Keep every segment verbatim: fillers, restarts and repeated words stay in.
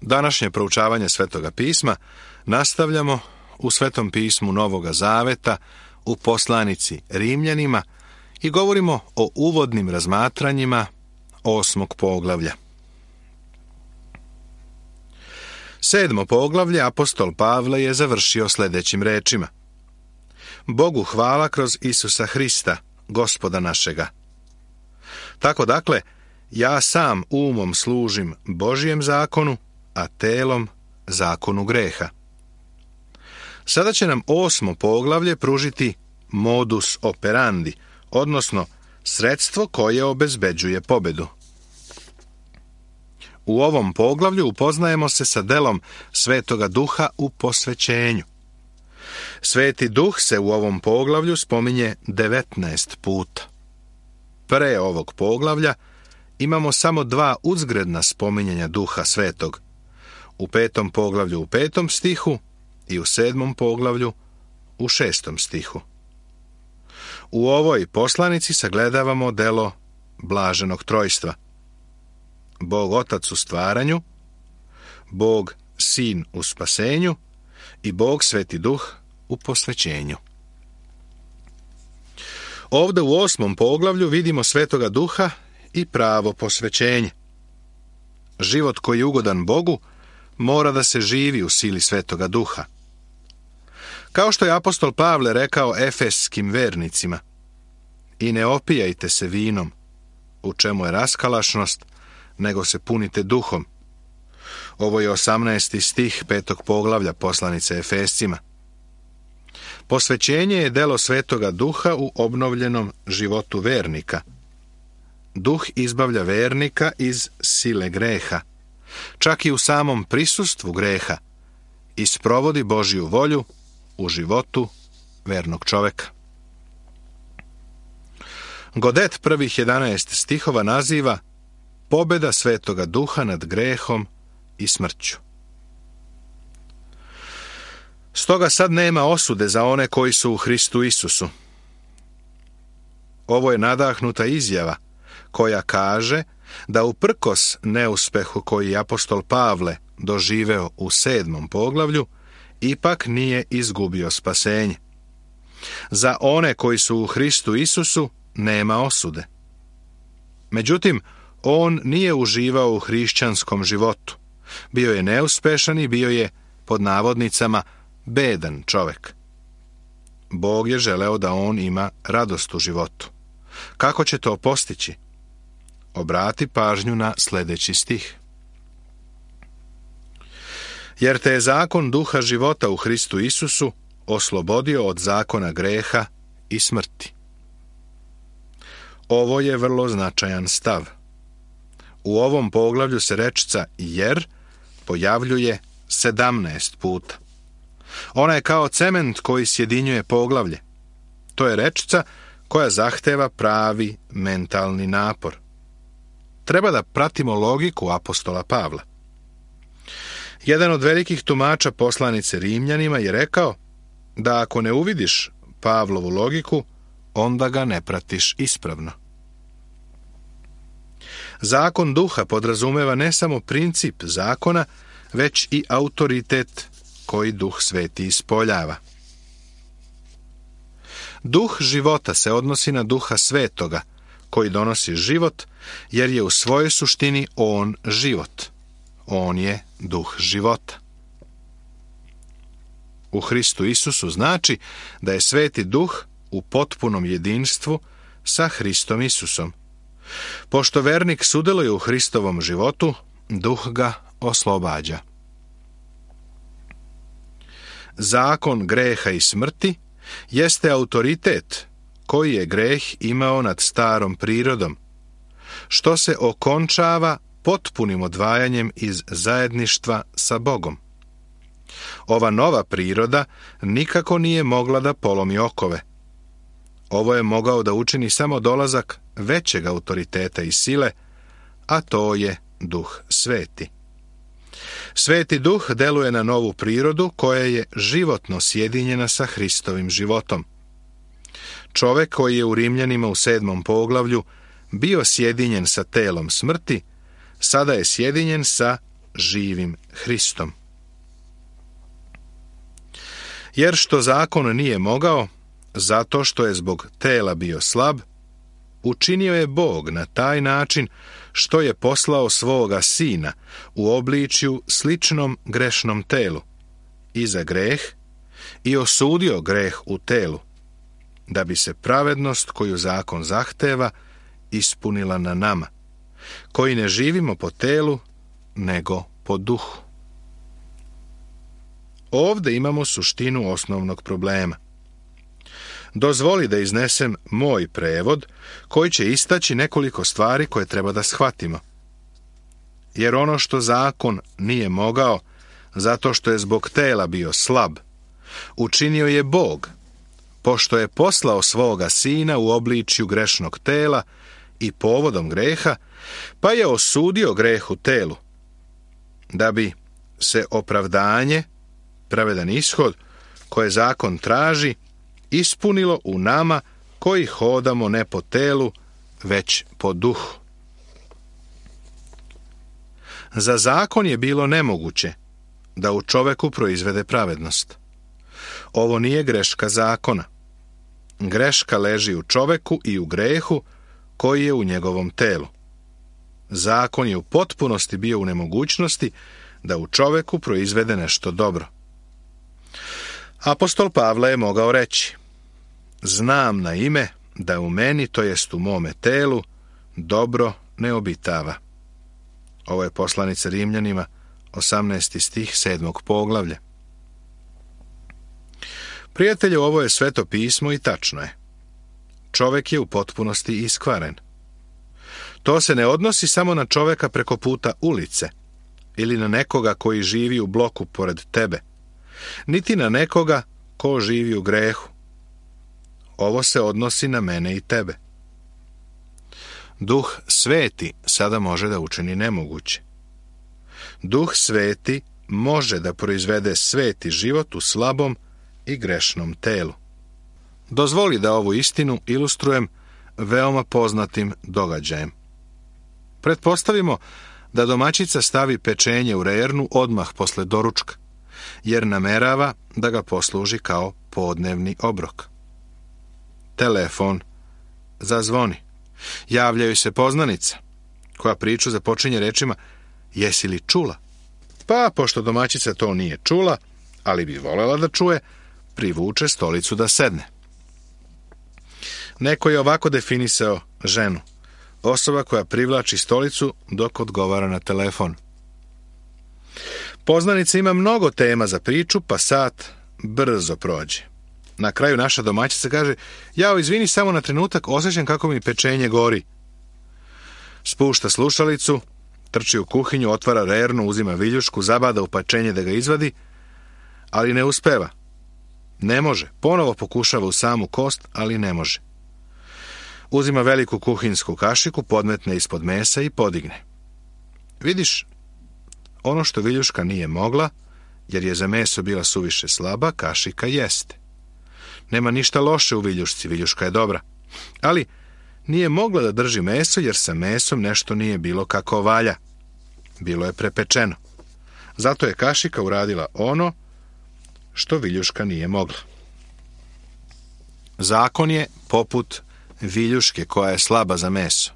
Današnje proučavanje Svetoga pisma nastavljamo u Svetom pismu Novoga Zaveta u poslanici Rimljanima i govorimo o uvodnim razmatranjima osmog poglavlja. Sedmo poglavlje apostol Pavle je završio sljedećim rečima: Bogu hvala kroz Isusa Hrista, Gospoda našega. Tako dakle, ja sam umom služim Božijem zakonu, a telom zakonu greha. Sada će nam osmo poglavlje pružiti modus operandi, odnosno sredstvo koje obezbeđuje pobedu. U ovom poglavlju upoznajemo se sa delom Svetoga Duha u posvećenju. Sveti Duh se u ovom poglavlju spominje devetnaest puta. Pre ovog poglavlja imamo samo dva uzgredna spominjanja Duha Svetog. U petom poglavlju u petom stihu i u sedmom poglavlju u šestom stihu. U ovoj poslanici sagledavamo delo blaženog trojstva. Bog Otac u stvaranju, Bog Sin u spasenju i Bog Sveti Duh u posvećenju. Ovdje u osmom poglavlju vidimo Svetoga Duha i pravo posvećenje. Život koji je ugodan Bogu mora da se živi u sili Svetoga Duha. Kao što je apostol Pavle rekao efeskim vernicima: I ne opijajte se vinom, u čemu je raskalašnost, nego se punite duhom. Ovo je osamnaesti stih petog poglavlja poslanice Efescima. Posvećenje je delo Svetoga Duha u obnovljenom životu vernika. Duh izbavlja vernika iz sile greha, čak i u samom prisustvu greha, i sprovodi Božju volju u životu vernog čoveka. Godet prvih jedanaest stihova naziva pobeda Svetoga Duha nad grehom i smrću. Stoga sad nema osude za one koji su u Hristu Isusu. Ovo je nadahnuta izjava koja kaže da uprkos neuspehu koji je apostol Pavle doživeo u sedmom poglavlju, ipak nije izgubio spasenje. Za one koji su u Hristu Isusu nema osude. Međutim, on nije uživao u hrišćanskom životu. Bio je neuspešan i bio je, pod navodnicama, bedan čovek. Bog je želeo da on ima radost u životu. Kako će to postići? Obrati pažnju na sljedeći stih. Jer te je zakon duha života u Hristu Isusu oslobodio od zakona greha i smrti. Ovo je vrlo značajan stav. U ovom poglavlju se rečica jer pojavljuje sedamnaest puta. Ona je kao cement koji sjedinjuje poglavlje. To je rečica koja zahteva pravi mentalni napor. Treba da pratimo logiku apostola Pavla. Jedan od velikih tumača poslanice Rimljanima je rekao da ako ne uvidiš Pavlovu logiku, onda ga ne pratiš ispravno. Zakon duha podrazumeva ne samo princip zakona, već i autoritet koji Duh Sveti ispoljava. Duh života se odnosi na Duha Svetoga, koji donosi život, jer je u svojoj suštini on život. On je duh života. U Hristu Isusu znači da je Sveti Duh u potpunom jedinstvu sa Hristom Isusom. Pošto vernik sudjeluje u Hristovom životu, Duh ga oslobađa. Zakon greha i smrti jeste autoritet koji je greh imao nad starom prirodom, što se okončava potpunim odvajanjem iz zajedništva sa Bogom. Ova nova priroda nikako nije mogla da polomi okove. Ovo je mogao da učini samo dolazak većeg autoriteta i sile, a to je Duh Sveti. Sveti Duh deluje na novu prirodu koja je životno sjedinjena sa Hristovim životom. Čovek koji je u Rimljanima u sedmom poglavlju bio sjedinjen sa telom smrti, sada je sjedinjen sa živim Hristom. Jer što zakon nije mogao, zato što je zbog tela bio slab, učinio je Bog na taj način što je poslao svoga sina u obličju sličnom grešnom telu i za greh i osudio greh u telu, da bi se pravednost koju zakon zahteva ispunila na nama, koji ne živimo po telu, nego po duhu. Ovdje imamo suštinu osnovnog problema. Dozvoli da iznesem moj prevod, koji će istaći nekoliko stvari koje treba da shvatimo. Jer ono što zakon nije mogao, zato što je zbog tela bio slab, učinio je Bog, pošto je poslao svoga sina u obličju grešnog tela i povodom greha, pa je osudio greh u telu, da bi se opravdanje, pravedan ishod, koje zakon traži, ispunilo u nama koji hodamo ne po telu, već po duhu. Za zakon je bilo nemoguće da u čoveku proizvede pravednost. Ovo nije greška zakona. Greška leži u čoveku i u grehu koji je u njegovom telu. Zakon je u potpunosti bio u nemogućnosti da u čoveku proizvede nešto dobro. Apostol Pavle je mogao reći: znam na ime da u meni, to jest u mome telu, dobro ne obitava. Ovo je poslanica Rimljanima, osamnaesti stih sedmog poglavlja. Prijatelju, ovo je sveto pismo i tačno je. Čovek je u potpunosti iskvaren. To se ne odnosi samo na čoveka preko puta ulice ili na nekoga koji živi u bloku pored tebe, niti na nekoga ko živi u grehu. Ovo se odnosi na mene i tebe. Duh sveti sada može da učini nemoguće. Duh sveti može da proizvede sveti život u slabom i grešnom telu. Dozvoli da ovu istinu ilustrujem veoma poznatim događajem. Pretpostavimo da domaćica stavi pečenje u rernu odmah posle doručka, jer namerava da ga posluži kao podnevni obrok. Telefon zazvoni. Javljaju se poznanica, koja priču započinje rečima: jesi li čula? Pa, pošto domaćica to nije čula, ali bi volela da čuje, privuče stolicu da sedne. Neko je ovako definisao ženu: osoba koja privlači stolicu dok odgovara na telefon. Poznanica ima mnogo tema za priču, pa sat brzo prođe. Na kraju naša domaćica kaže: jao, izvini, samo na trenutak, osjećam kako mi pečenje gori. Spušta slušalicu, trči u kuhinju, otvara rernu, uzima viljušku, zabada u pečenje da ga izvadi, ali ne uspeva. Ne može. Ponovo pokušava u samu kost, ali ne može. Uzima veliku kuhinsku kašiku, podmetne ispod mesa i podigne. Vidiš, ono što viljuška nije mogla, jer je za meso bila suviše slaba, kašika jeste. Nema ništa loše u viljušci, viljuška je dobra. Ali nije mogla da drži meso, jer sa mesom nešto nije bilo kako valja. Bilo je prepečeno. Zato je kašika uradila ono što viljuška nije mogla. Zakon je poput viljuške koja je slaba za meso.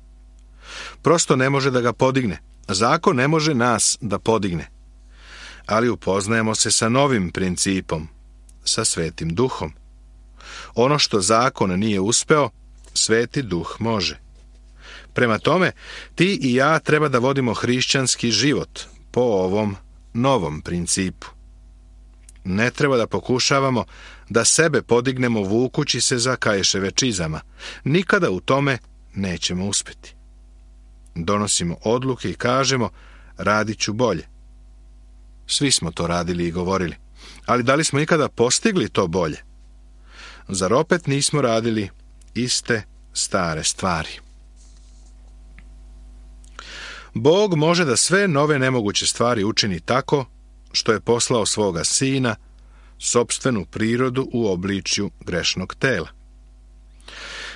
Prosto ne može da ga podigne. Zakon ne može nas da podigne. Ali upoznajemo se sa novim principom, sa Svetim Duhom. Ono što zakon nije uspeo, Sveti Duh može. Prema tome, ti i ja treba da vodimo hrišćanski život po ovom novom principu. Ne treba da pokušavamo da sebe podignemo vukući se za Kaješeve čizama. Nikada u tome nećemo uspjeti. Donosimo odluke i kažemo: radit ću bolje. Svi smo to radili i govorili. Ali da li smo ikada postigli to bolje? Zar opet nismo radili iste stare stvari? Bog može da sve nove nemoguće stvari učini tako što je poslao svoga sina, sopstvenu prirodu u obličju grešnog tela.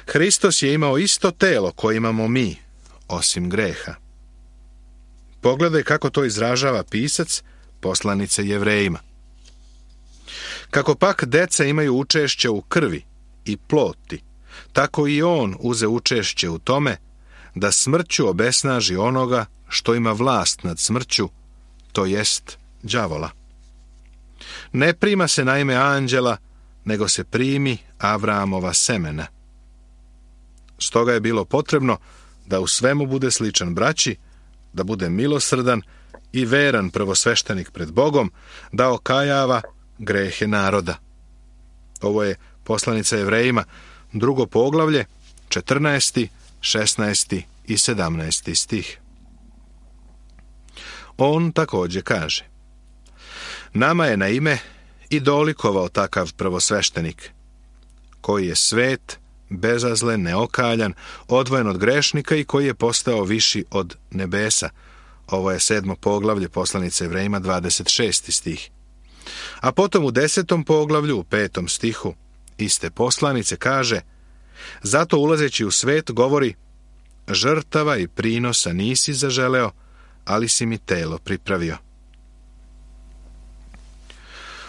Hristos je imao isto telo koje imamo mi, osim greha. Pogledaj kako to izražava pisac poslanice Jevrejima. Kako pak deca imaju učešće u krvi i ploti, tako i on uze učešće u tome da smrću obesnaži onoga što ima vlast nad smrću, to jest đavola. Ne prima se naime anđela, nego se primi Avraamova semena. Stoga je bilo potrebno da u svemu bude sličan braći, da bude milosrdan i veran prvosveštenik pred Bogom, da okajava grehe naroda. Ovo je poslanica Jevrejima, drugo poglavlje, četrnaesti, šesnaesti i sedamnaesti stih. On također kaže: nama je na ime i dolikovao takav prvosveštenik, koji je svet, bezazlen, neokaljan, odvojen od grešnika i koji je postao viši od nebesa. Ovo je sedmo poglavlje poslanice Jevrejima, dvadeset šesti stih. A potom u desetom poglavlju, u petom stihu, iste poslanice kaže: zato ulazeći u svet govori: žrtava i prinosa nisi zaželeo, ali si mi telo pripravio.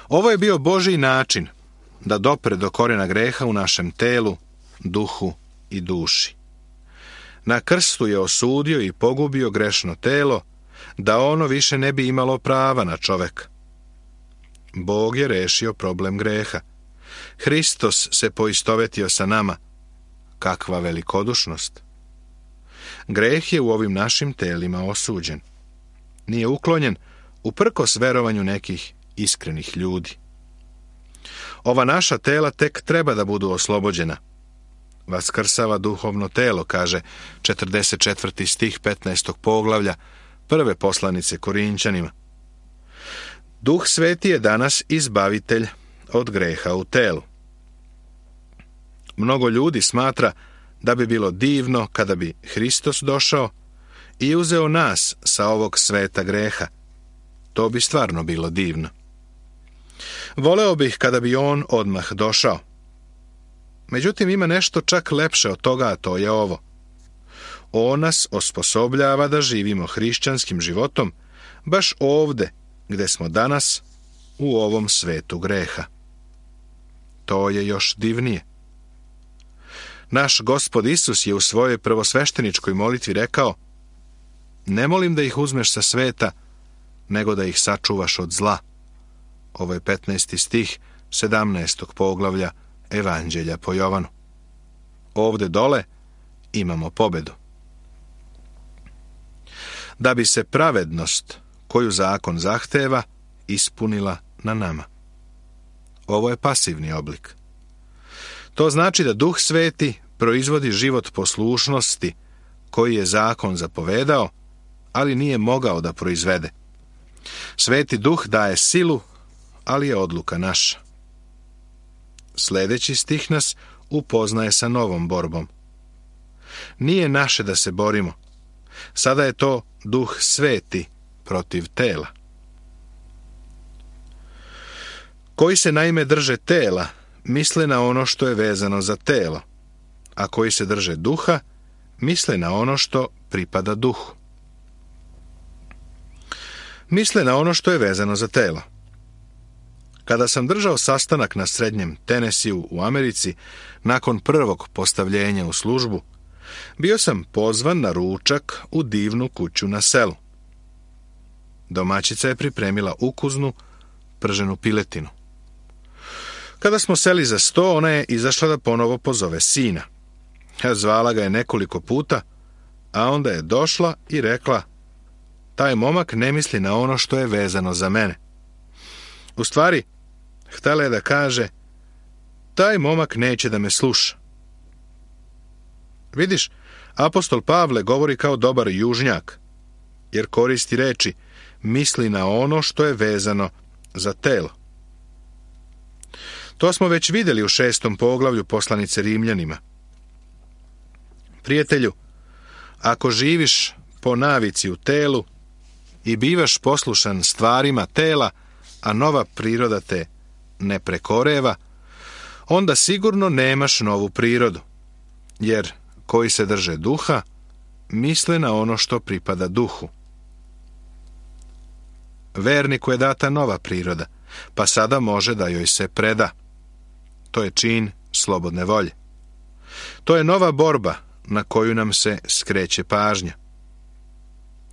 Ovo je bio Božji način da dopre do korijena greha u našem telu, duhu i duši. Na krstu je osudio i pogubio grešno telo, da ono više ne bi imalo prava na čoveka. Bog je rešio problem greha. Hristos se poistovetio sa nama. Kakva velikodušnost! Greh je u ovim našim telima osuđen. Nije uklonjen uprkos verovanju nekih iskrenih ljudi. Ova naša tela tek treba da budu oslobođena. Vaskrsava duhovno telo, kaže četrdeset četvrti stih petnaestog poglavlja prve poslanice Korinćanima. Duh Sveti je danas izbavitelj od greha u telu. Mnogo ljudi smatra da bi bilo divno kada bi Hristos došao i uzeo nas sa ovog sveta greha. To bi stvarno bilo divno. Voleo bih kada bi on odmah došao. Međutim, ima nešto čak lepše od toga, a to je ovo. On nas osposobljava da živimo hrišćanskim životom baš ovde gde smo danas, u ovom svetu greha. To je još divnije. Naš Gospod Isus je u svojoj prvosvešteničkoj molitvi rekao: ne molim da ih uzmeš sa sveta, nego da ih sačuvaš od zla. Ovo je petnaesti stih sedamnaestog poglavlja Evanđelja po Jovanu. Ovde dole imamo pobedu. Da bi se pravednost koju zakon zahteva ispunila na nama. Ovo je pasivni oblik. To znači da Duh Sveti proizvodi život poslušnosti koji je zakon zapovedao, ali nije mogao da proizvede. Sveti Duh daje silu, ali je odluka naša. Sljedeći stih nas upoznaje sa novom borbom. Nije naše da se borimo. Sada je to Duh Sveti protiv tela. Koji se naime drže tela, misle na ono što je vezano za telo, a koji se drže duha, misle na ono što pripada duhu. Misle na ono što je vezano za telo. Kada sam držao sastanak na srednjem Tenesiju u Americi, nakon prvog postavljenja u službu, bio sam pozvan na ručak u divnu kuću na selu. Domaćica je pripremila ukusnu prženu piletinu. Kada smo seli za sto, ona je izašla da ponovo pozove sina. Zvala ga je nekoliko puta, a onda je došla i rekla: taj momak ne misli na ono što je vezano za mene. U stvari, htjela je da kaže: taj momak neće da me sluša. Vidiš, apostol Pavle govori kao dobar južnjak, jer koristi reči misli na ono što je vezano za telo. To smo već vidjeli u šestom poglavlju poslanice Rimljanima. Prijatelju, ako živiš po navici u telu i bivaš poslušan stvarima tela, a nova priroda te ne prekoreva, onda sigurno nemaš novu prirodu, jer koji se drže duha, misle na ono što pripada duhu. verniku je data nova priroda, pa sada može da joj se preda. To je čin slobodne volje. To je nova borba na koju nam se skreće pažnja.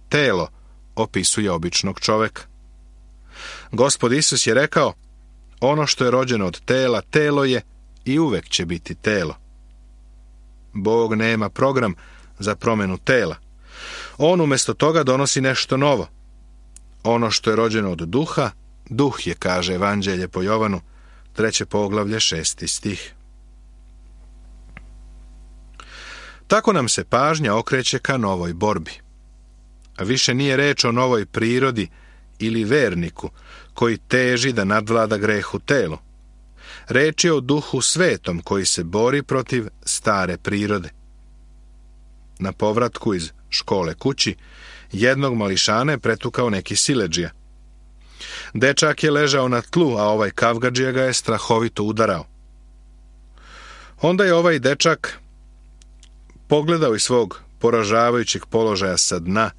Telo opisuje običnog čoveka. Gospod Isus je rekao, ono što je rođeno od tela, telo je i uvek će biti telo. Bog nema program za promjenu tela. On umjesto toga donosi nešto novo. Ono što je rođeno od duha, duh je, kaže Evanđelje po Jovanu, treće poglavlje, šesti stih. Tako nam se pažnja okreće ka novoj borbi. A više nije reč o novoj prirodi ili verniku koji teži da nadvlada greh u telu. Reč je o duhu svetom koji se bori protiv stare prirode. Na povratku iz škole kući, jednog mališana je pretukao neki siledžija. Dečak je ležao na tlu, a ovaj kavgadžija ga je strahovito udarao. Onda je ovaj dečak pogledao iz svog poražavajućeg položaja sa dna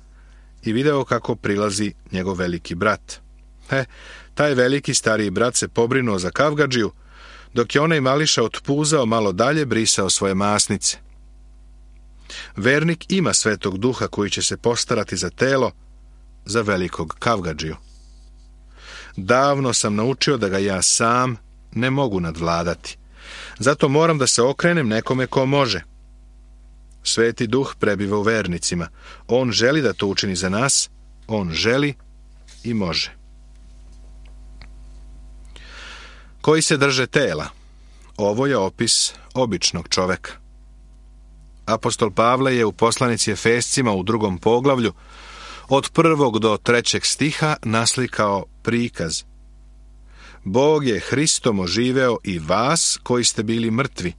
i video kako prilazi njegov veliki brat. He, taj veliki stariji brat se pobrinuo za kavgadžiju, dok je onaj mališa otpuzao malo dalje, brisao svoje masnice. Vernik ima svetog duha koji će se postarati za telo, za velikog kavgadžiju. Davno sam naučio da ga ja sam ne mogu nadvladati. Zato moram da se okrenem nekome ko može. Sveti duh prebiva u vernicima. On želi da to učini za nas. On želi i može. Koji se drže tela. Ovo je opis običnog čoveka. Apostol Pavle je u poslanici Efescima u drugom poglavlju od prvog do trećeg stiha naslikao prikaz. Bog je Hristom oživeo i vas koji ste bili mrtvi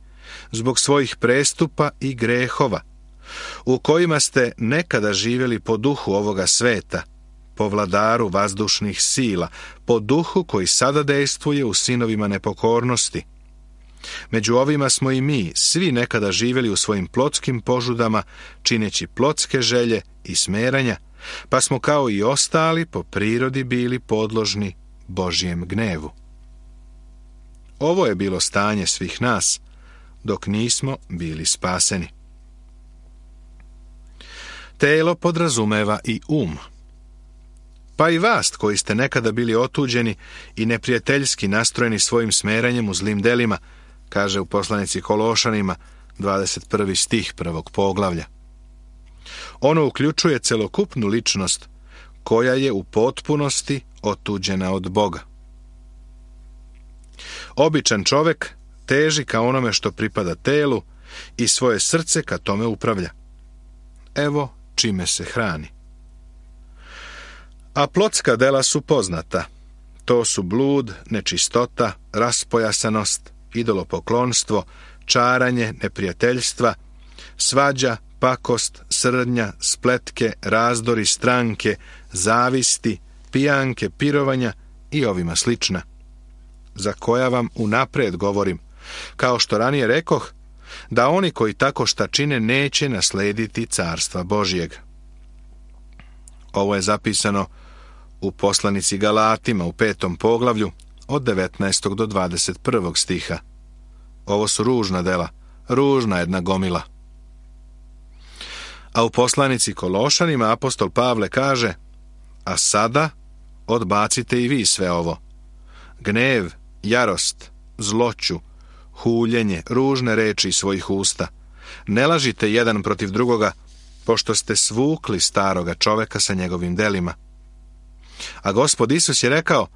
zbog svojih prestupa i grehova, u kojima ste nekada živjeli po duhu ovoga sveta, po vladaru vazdušnih sila, po duhu koji sada dejstvuje u sinovima nepokornosti. Među ovima smo i mi, svi nekada živjeli u svojim plotskim požudama, čineći plotske želje i smeranja, pa smo kao i ostali po prirodi bili podložni Božjem gnevu. Ovo je bilo stanje svih nas, dok nismo bili spaseni. Telo podrazumeva i um. Pa i vas koji ste nekada bili otuđeni i neprijateljski nastrojeni svojim smeranjem u zlim delima, kaže u poslanici Kološanima, dvadeset prvi stih prvog poglavlja. Ono uključuje celokupnu ličnost koja je u potpunosti otuđena od Boga. Običan čovek teži ka onome što pripada telu i svoje srce ka tome upravlja. Evo čime se hrani. A plotska dela su poznata. To su blud, nečistota, raspojasanost, idolopoklonstvo, čaranje, neprijateljstva, svađa, pakost, srdnja, spletke, razdori, stranke, zavisti, pijanke, pirovanja i ovima slična, za koja vam unapred govorim, kao što ranije rekoh, da oni koji tako šta čine neće naslediti carstva Božjeg. Ovo je zapisano u poslanici Galatima u petom poglavlju od devetnaestog do dvadeset prvog stiha. Ovo su ružna dela, ružna jedna gomila. A u poslanici Kološanima apostol Pavle kaže, a sada odbacite i vi sve ovo. Gnev, jarost, zloću, huljenje, ružne reči iz svojih usta. Ne lažite jedan protiv drugoga, pošto ste svukli staroga čoveka sa njegovim delima. A Gospod Isus je rekao,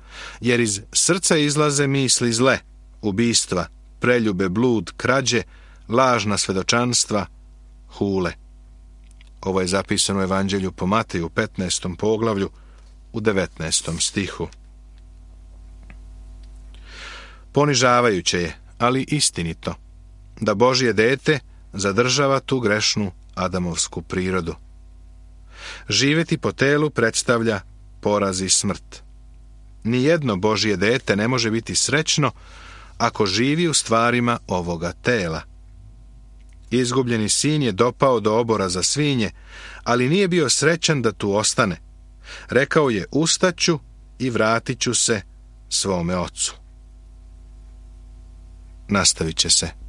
jer iz srca izlaze misli zle, ubistva, preljube, blud, krađe, lažna svedočanstva, hule. Ovo je zapisano u Evanđelju po Mateju u petnaestom poglavlju u devetnaestom stihu. Ponižavajuće je, ali istinito, da Božje dete zadržava tu grešnu adamovsku prirodu. Živjeti po telu predstavlja poraz i smrt. Nijedno Božje dete ne može biti srećno ako živi u stvarima ovoga tela. Izgubljeni sin je dopao do obora za svinje, ali nije bio srećan da tu ostane. Rekao je, ustaću i vratit ću se svome ocu. Nastavit će se.